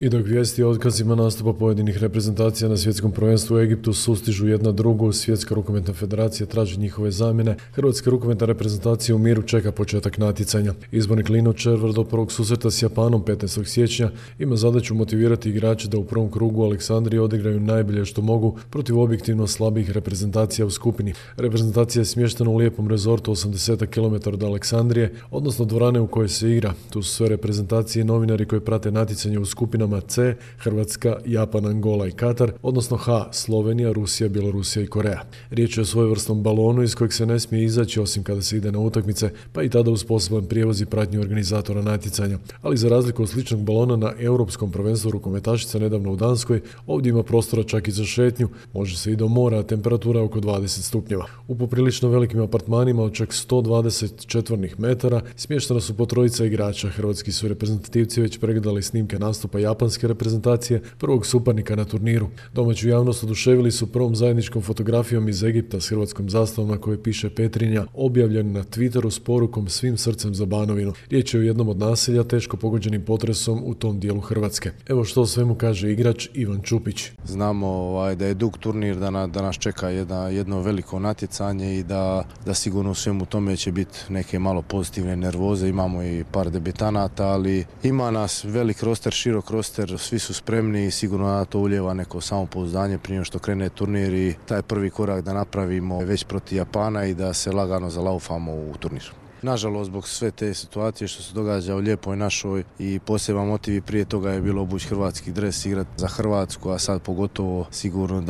I dok vijesti o otkazima nastupa pojedinih reprezentacija na svjetskom prvenstvu u Egiptu sustižu jedna drugu, Svjetska rukometna federacija traži njihove zamjene, Hrvatska rukometna reprezentacija u miru čeka početak natjecanja. Izbornik Lino Červar do prvog susreta s Japanom 15. siječnja ima zadaću motivirati igrače da u prvom krugu u Aleksandriji odigraju najbolje što mogu protiv objektivno slabih reprezentacija u skupini. Reprezentacija je smještena u lijepom rezortu 80 km od Aleksandrije, odnosno dvorane u kojoj se igra. Tu su sve reprezentacije i novinari koji prate natjecanje u skupinama C, Hrvatska, Japan, Angola i Katar, odnosno H, Slovenija, Rusija, Bjelorusija i Koreja. Riječ je o svojevrsnom balonu iz kojeg se ne smije izaći osim kada se ide na utakmice, pa i tada uz poseban prijevoz i pratnju organizatora natjecanja. Ali za razliku od sličnog balona na Europskom prvenstvu rukometašica nedavno u Danskoj, ovdje ima prostora čak i za šetnju, može se i do mora, a temperatura je oko 20 stupnjeva. U poprilično velikim apartmanima od čak 120 četvornih metara smještena su po trojica igrača. Hrvatski su reprezentativci već pregledali snimke nastupa japanske reprezentacije, prvog suparnika na turniru. Domaću javnost oduševili su prvom zajedničkom fotografijom iz Egipta s hrvatskom zastavom na kojoj piše Petrinja, objavljen na Twitteru s porukom svim srcem za Banovinu. Riječ je o jednom od naselja teško pogođenim potresom u tom dijelu Hrvatske. Evo što o svemu kaže igrač Ivan Čupić. Znamo da je dug turnir, da nas čeka jedno veliko natjecanje i da sigurno u svemu tome će biti neke malo pozitivne nervoze. Imamo i par debitanata, ali ima nas velik roster, širok roster, svi su spremni i sigurno da to ulijeva neko samopouzdanje prije nego što krene turnir i taj prvi korak da napravimo već protiv Japana i da se lagano zalaufamo u turnir. Nažalost, zbog sve te situacije što se događa u lijepoj našoj i poseban motiv prije toga je bilo obući hrvatski dres, igrati za Hrvatsku, a sad pogotovo sigurno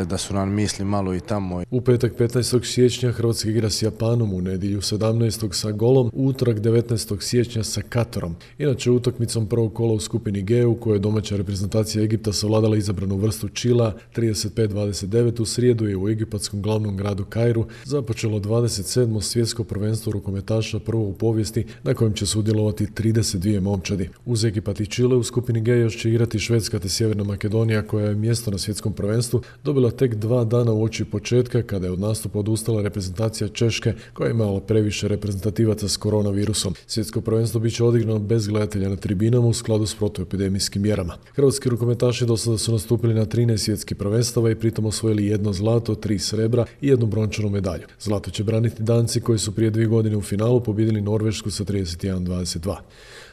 da su nam misli malo i tamo. U petak 15. siječnja Hrvatska igra s Japanom, u nedjelju 17. sa Golom, u utorak 19. siječnja sa Katarom. Inače, utakmicom prvog kola u skupini G, u kojoj domaća reprezentacija Egipta savladala izabranu vrstu Čila 35-29, u srijedu je u egipatskom glavnom gradu Kairu započelo 27. svjetsko prvenstvo rukometaša prvo u povijesti na kojem će sudjelovati 32 momčadi. Uz Egipat i Čile u skupini G još će igrati Švedska te Sjeverna Makedonija koja je mjesto na svjetskom prvenstvu dobila tek 2 dana uoči početka kada je od nastupa odustala reprezentacija Češke koja je imala previše reprezentativaca s koronavirusom. Svjetsko prvenstvo bit će odigrano bez gledatelja na tribinama u skladu s protuepidemijskim mjerama. Hrvatski rukometaši do sada su nastupili na 13 svjetskih prvenstava i pritom osvojili 1 zlato, 3 srebra i 1 brončanu medalju. Zlato će braniti Danci koji su prije 2 godine u finalu pobjedili Norvešku sa 31-22.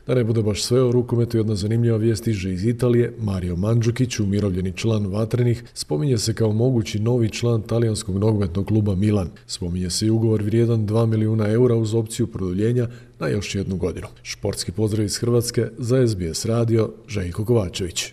Da ne bude baš sve o rukometu, jedna zanimljiva vijest stiže iz Italije. Mario Mandžukić, umirovljeni član Vatrenih, spominje se kao mogući novi član talijanskog nogometnog kluba Milan. Spominje se i ugovor vrijedan 2 milijuna eura uz opciju produljenja na još 1 godinu. Športski pozdrav iz Hrvatske za SBS radio, Željko Kovačević.